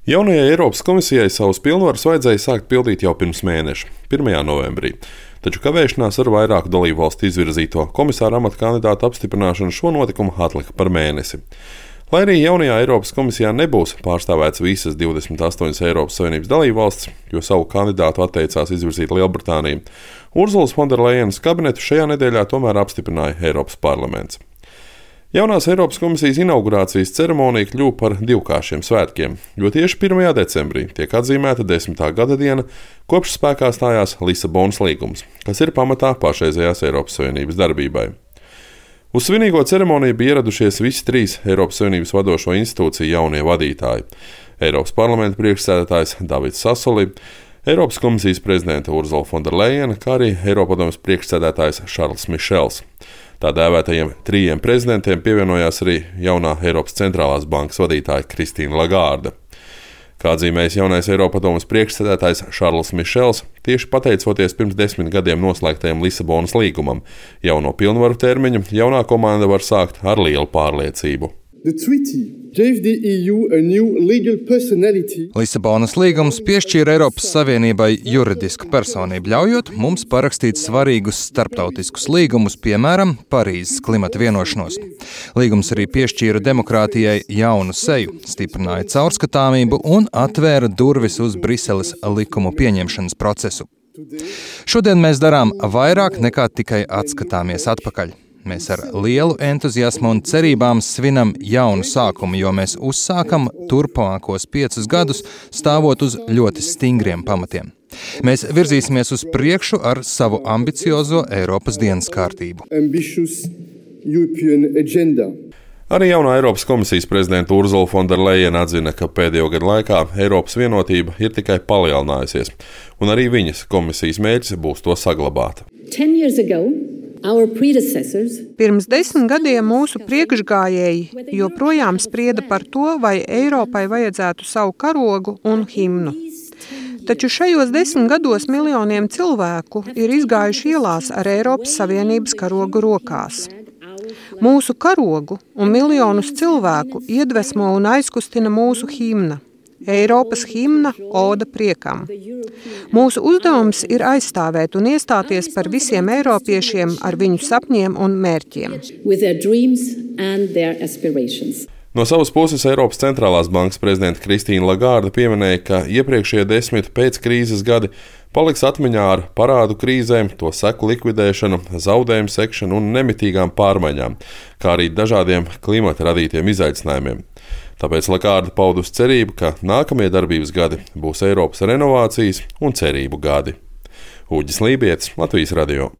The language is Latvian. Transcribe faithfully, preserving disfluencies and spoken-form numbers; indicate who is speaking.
Speaker 1: Jaunajai Eiropas komisijai savus pilnvarus vajadzēja sākt pildīt jau pirms mēneša, pirmajā novembrī. Taču kavēšanās ar vairāku dalībvalstu izvirzīto komisāra amata kandidātu apstiprināšanu šo notikumu atlika par mēnesi. Lai arī jaunajā Eiropas komisijā nebūs pārstāvēts visas divdesmit astoņas Eiropas Savienības dalībvalstis, jo savu kandidātu atteicās izvirzīt Lielbritānija, Urzulas Fonderlejenas kabinetu šajā nedēļā tomēr apstiprināja Eiropas parlaments. Jaunās Eiropas komisijas inaugurācijas ceremonija kļuva par divkāršiem svētkiem, jo tieši pirmajā decembrī tiek atzīmēta desmitā gada diena, kopš spēkā stājās Lisabonas līgums, kas ir pamatā pašreizējās Eiropas Savienības darbībai. Uz svinīgo ceremoniju bija ieradušies visi trīs Eiropas Savienības vadošo institūciju jaunie vadītāji - Eiropas parlamenta priekšsēdētājs Davids Sassoli, Eiropas komisijas prezidente Urzula Fonderlejena, kā arī Eiropadomes priekšsēdētājs Šarls Mišels. Tā dēvētajiem trījiem prezidentiem pievienojās arī jaunā Eiropas centrālās bankas vadītāja Kristīna Lagārde. Kā atzīmējis jaunais Eiropadomes priekšsēdētājs Šarls Mišels, tieši pateicoties pirms desmit gadiem noslēgtajam Lisabonas līgumam, jauno pilnvaru termiņu jaunā komanda var sākt ar lielu pārliecību.
Speaker 2: Lisabonas līgums piešķīra Eiropas Savienībai juridisku personību, ļaujot mums parakstīt svarīgus starptautiskus līgumus, piemēram, Parīzes klimata vienošanos. Līgums arī piešķīra demokrātijai jaunu seju, stiprināja caurskatāmību un atvēra durvis uz Briseles likumu pieņemšanas procesu. Šodien mēs darām vairāk nekā tikai atskatāmies atpakaļ. Mēs ar lielu entuziasmu un cerībām svinam jaunu sākumu, jo mēs uzsākam turpmākos piecus gadus stāvot uz ļoti stingriem pamatiem. Mēs virzīsimies uz priekšu ar savu ambiciozo Eiropas dienas kārtību.
Speaker 1: Arī jaunā Eiropas komisijas prezidenta Urzula Fonderlejena atzina, ka pēdējo gadu laikā Eiropas vienotība ir tikai palielinājusies, un arī viņas komisijas mērķis būs to saglabāt.
Speaker 3: Pirms desmit gadiem mūsu priekšgājēji joprojām sprieda par to, vai Eiropai vajadzētu savu karogu un himnu. Taču šajos desmit gados miljoniem cilvēku ir izgājuši ielās ar Eiropas Savienības karogu rokās. Mūsu karogu un miljonus cilvēku iedvesmo un aizkustina mūsu himna. Eiropas himna Oda priekam. Mūsu uzdevums ir aizstāvēt un iestāties par visiem eiropiešiem ar viņu sapņiem un mērķiem.
Speaker 1: No savas puses Eiropas centrālās bankas prezidenta Kristīna Lagārde pieminēja, ka iepriekšējie desmit pēc krīzes gadi paliks atmiņā ar parādu krīzēm, to seku likvidēšanu, zaudējumu sekšanu un nemitīgām pārmaiņām, kā arī dažādiem klimata radītiem izaicinājumiem. Tāpēc Lagārde paudusi cerību, ka nākamie darbības gadi būs Eiropas renovācijas un cerību gadi. Uģis Lībietis, Latvijas radio.